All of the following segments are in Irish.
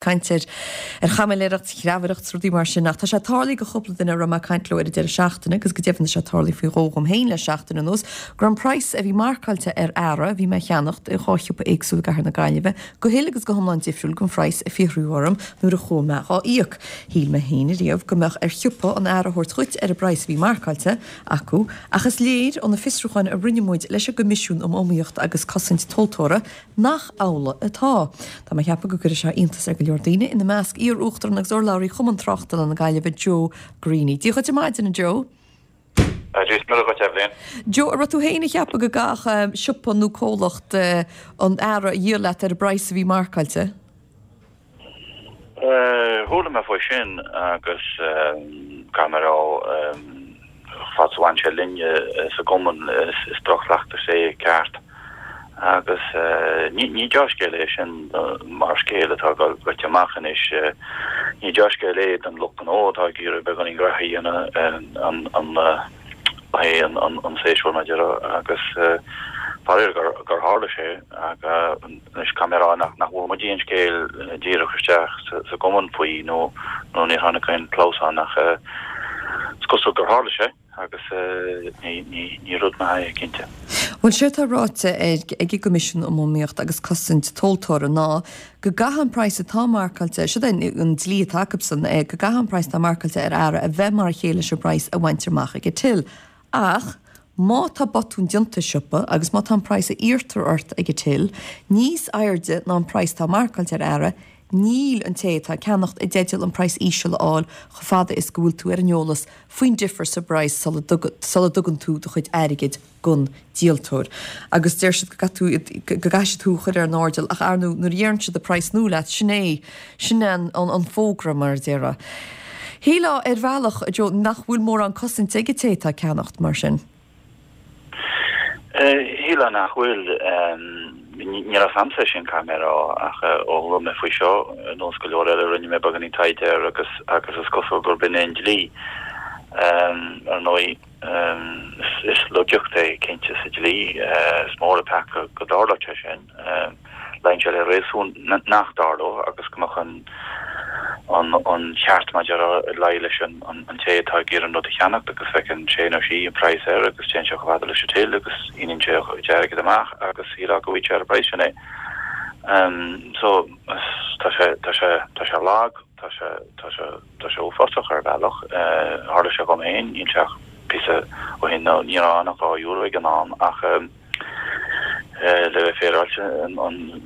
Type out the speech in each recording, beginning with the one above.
Caint ar ar chaimiléireacht, chreamhaireacht 's rudaí mar sin ach tá sé tarlaithe go chúpla duine a raibh mé ag caint leo ar an deireadh seachtaine agus go deimhin tá sé tarlaithe faoi dhó dhom féin le seachtain anuas go raibh an praghas a bhí marcáilte ar earra a bhí mé a cheannacht i dhá shiopa éagsúil i gcathair na Gaillimhe go huile agus go hiomlán difriúil gon phraghas a fiafraíodh orm nuair a chuaigh mé dhá íoc. Shíl mé féin ariamh go mbeadh ar shiopa an earra a thabhairt dhuit ar an bpraghas a bhí marcáilte acu ach is léir ó na fiosrúcháin a rinne muid leis an gCoimisiún um Iomaíocht agus Cosaint Tomhaltóra Nach amhlaidh atá. Tá mé ag ceapadh go gcuirfidh sé iontas ar go leor daoine, ina measc iar-uachtarán agus urlabhraí Chumann Tráchtála na Gaillimhe, Joe Greaney. Dia dhuit ar maidin, a Joe. Dia is Muire dhuit, Eibhlín. Joe, an raibh tú féin ag ceapadh go gcaithfeadh siopa nó comhlacht an earra a dhíol leat ar an bpraghas a bhí marcáilte? Chuala mé faoi sin agus caithfidh mé a rá, fad is a bhain sé linne sa gcumann, is droch-chleachtas é ceart. Agus ní dea-scéal é sin mar scéal atá ag goil amach anois. Ní dea-scéal é don lucht gnó atá ag iarraidh beagáinín graithe a dhéanamh an é an séasúr mar a déarfá agus faraor gur tharla sé. Anois caithfidh mé a rá nach bhfuair muid aon scéal díreach isteach sa gcumann faoi nó nó níor tháinig aon chlamhsán ach is cosúil gur tharla sé agus ní rud maith é cinnte. Bhuel, séard atá ráite ag an gCoimisiún um Iomaíocht agus Cosaint Tomhaltóra ná go gcaithfidh an praghas atá marcáilte, siod é an dlí atá acusan, go gcaithfidh an praghas atá marcáilte ar earra a bheith mar a chéile leis an bpraghas a bhaintear amach ag an till. Ach má tá botún déanta i siopa agus má tá an praghas a iarrtar ort ag an till níos airde ná an praghas atá marcáilte ar earra, níl an té atá ag ceannacht i dteideal an praghas íseal a fháil chomh fada is go bhfuil tú ar an eolas faoin difear sa bpraghas sula dtugann tú do chuid airgid gon díoltóir. Agus deir siad go gcaithfidh tú, go gcaithfidh siad thú a chur ar an airdeall ach ar ndóigh nuair a dheireann siad an praghas nua leat, sin é, sin é an fógra mar a déarfá. Shílfeá ar bhealach, a Joe, nach bhfuil mórán cosaint ag an té atá ag ceannacht, mar sin. Shílfeá nach bhfuil. Ní raibh a fhios a'msa é sin, caithfidh mé a rá, ach ó chuala mé faoi seo, ar nós go leor eile, rinne mé beagáinín taighde air agus agus is cosúil gurb in é an dlí. Ar ndóigh, is laigeacht é cinnte sa dlí. Is mór an peaca go dtarlódh sé sin. Luíonn sé le réasún nach dtarlódh agus go mbeadh an an cheart mar a déarfá ag luí leis an té atá ag iarraidh an rud a cheannacht agus feiceann sé nó sí an praghas air agus téann sé chomh fada leis an till agus síneann sé a chuid airgid amach agus shílfeá go bhfaighidh sé ar an bpraghas sin é. So tá sé tá sé tá sé lag, tá sé tá sé tá sé uafásach ar bhealach. Tharla sé dhom féin, níl sé ach píosa ó shin nó ní raibh ann ach €2 ag an am ach Le bheith féaráilte,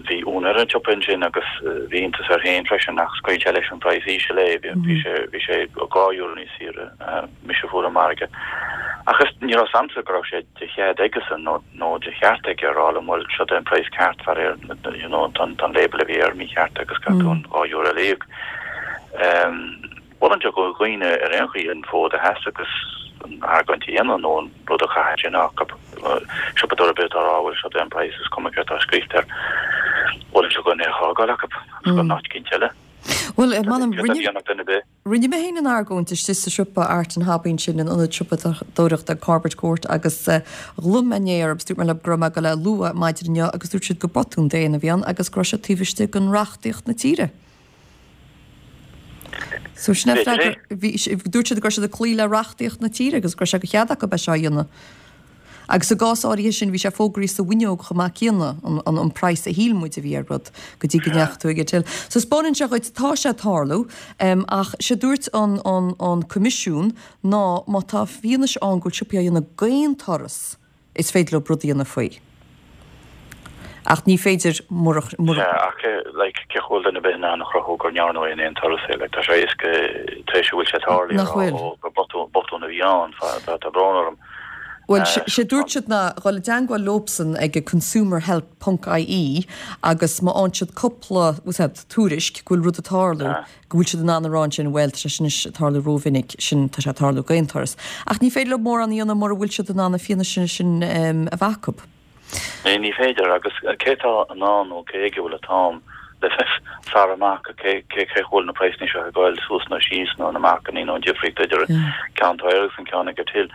bhí úinéir an tsiopa ansin agus bhí iontas air féin freisin ach scaoil sé leis an praghas íseal é, bhí sé bhí sé €2 níos saoire, mise a fuair an margadh. Ach is ní raibh 's a'msa go raibh sé de chead aigesan nó nó de cheart aige a rá liom bhuel seo é an praghas ceart faraor you know tá an label a bhí air mícheart agus caithfidh tú an €2 eile a íoc. Mholfainnse do dhaoine ar aon chaoi an fód a sheasamh agus an argóint a dhéanamh nó an rud a chaitheamh sin acu. Siopadóir ar bith atá ag rá bhuel seo é an praghas is cuma céard atá scríofa air. Mholfainnse do dhuine é a fhágáil acu agus dul in áit eicínt eile. Bhuel, m'anam, rinne mé féin an argóint istigh sa siopa Art and Hobby ansin in ionad siopadóireachta Corbett Court agus ghlaoigh mé inné orthu agus dúirt mé leo go raibh mé ag dul é a lua maidin inniu agus dúirt siad gur botún daonna a bhí ann agus go raibh sé taobh istigh den reachtaíocht na tíre. So sin é freagra, bhí, dúirt siad go raibh siad ag cloí le reachtaíocht na tíre agus go raibh sé de chead acu é seo a dhéanamh. Agus i gcás áirithe sin bhí sé fógraithe sa bhfuinneog chomh maith céanna, an, an, an praghas a shíl muid a bhí ar rud go dtí go ndeachaigh tú ag an till. So spáineann sé dhuit, tá sé ag tarlú, em, ach sé dúirt an, an, an Coimisiún ná má tá fianaise ann go bhfuil siopaí á dhéanamh d'aon turas, Is féidir leo rud a dhéanamh faoi. Ach ní féidir murach, murach. Sea, ach like, cén chaoi a bhfuil duine ar bith in ann a chruthú gur ndearnadh é in aon turas é? Like, tá sé éasca, tar éis a bhfuil sé tarlaithe, a Nach rá, bhfuil? ó, gur botún, botún a bhí ann, tá, tá brón orm. Bhuel, sé dúirt siad ná dhul i dteangmháil leobsan ag consumerhelp ponc ie agus má fhaigheann siad cúpla, bhfuil a fhios agat, tuairisc go bhfuil rud ag tarlú, go bhfuil siad in ann a rá ansin, bhuel, tá sé sin anois ag tarlú rómhinic, sin, tá sé ag tarlú d'aon turas. Ach ní féidir leo mórán a dhéanamh mura bhfuil siad in ann an fianaise sin a bheith acu. Ní, ní féidir, agus cé atá in ann nó cé aige a bhfuil an t-am le bheith ag faire amach cé, cé, cén chaoi a bhfuil na praghsanna seo ag goil suas nó síos nó na marcannaí nó an difríocht idir an ceann atá air agus an ceann ag an till.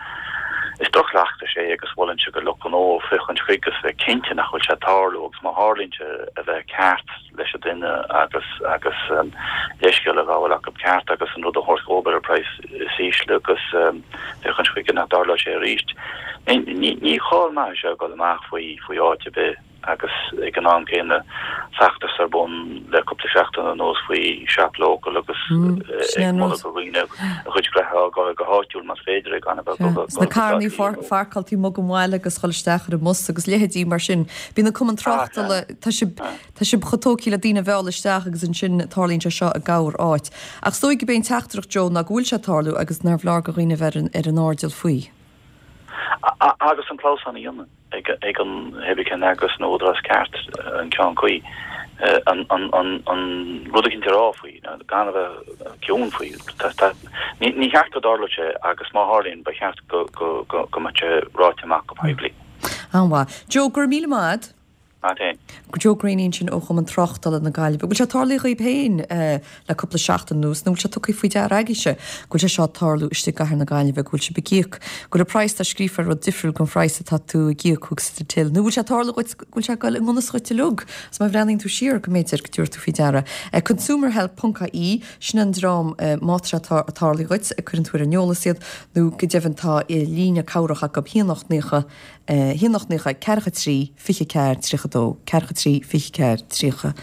Is droch-chleachtas é agus mholfainnse do lucht gnó féachaint chuige agus bheith cinnte nach bhfuil sé ag tarlú agus má tharlaíonn sé a bheith ceart leis an duine agus agus leithscéal a ghabháil acu ceart agus an rud a thabhairt dhóibh ar an praghas is ísle agus féachaint chuige nach dtarlóidh sé arís. Ní cáil maith é seo ag dul amach faoi faoi áit ar bith. agus ag an am céanna feachtas ar bun le cúpla seachtain anuas faoi shop local agus ag moladh do dhaoine a gcuid gnoithe a fhágáil go háitiúil más féidir é gan a bheith ag dul Sna carrannaí pharcáilte amuigh go mall agus dhul isteach ar an mbus agus leithéidí mar sin. Bíonn an cumann tráchtala, tá sibh tá sibh chomh tógtha le daoine a mhealladh isteach agus ansin tarlaíonn sé seo i gcorr áit. Ach is dóigh gurb é an teachtaireacht Joe ná go bhfuil sé ag tarlú agus nárbh leor do dhaoine a bheith ar an airdeall faoi. Agus an clamhsán a dhéanamh. ag an hébrí cén eagras nó údarás ceart an ceann cuí an rud eicínt a rá faoi, gan a bheith ciúin faoi. Ní cheart go dtarlódh sé agus má tharlaíonn ba cheart go mbeadh sé ráite amach go poiblí. An-mhaith. Joe, go raibh míle maith agat. Maith féin. Joe Greaney ansin ó Chumann Tráchtála na Gaillimhe. Bhfuil sé tarlaithe dhaoib féin le cúpla seachtain anuas nó bhfuil sé tugtha faoi deara agaibhse go bhfuil sé seo ag tarlú istigh i gcathair na Gaillimhe, go bhfuil sibh ag íoc, go bhfuil an praghas atá scríofa ar rud difriúil gon phraghas atá tú ag íoc thuas sa till nó bhfuil sé ag tarlú dhuit go bhfuil sé ag dul i ngan fhios dhuit uilig agus má bhreathnaíonn tú siar go mb'fhéidir go dtabharfaidh tú faoi deara. Consumerhelp ponc ie, sin an dream má tá sé ag tarlú dhuit, cuireann tú ar an eolas iad nó go deimhin tá líne cabhrach acu, 1 8 90 1 8 90 4 3 24 32, 4 3 24 32.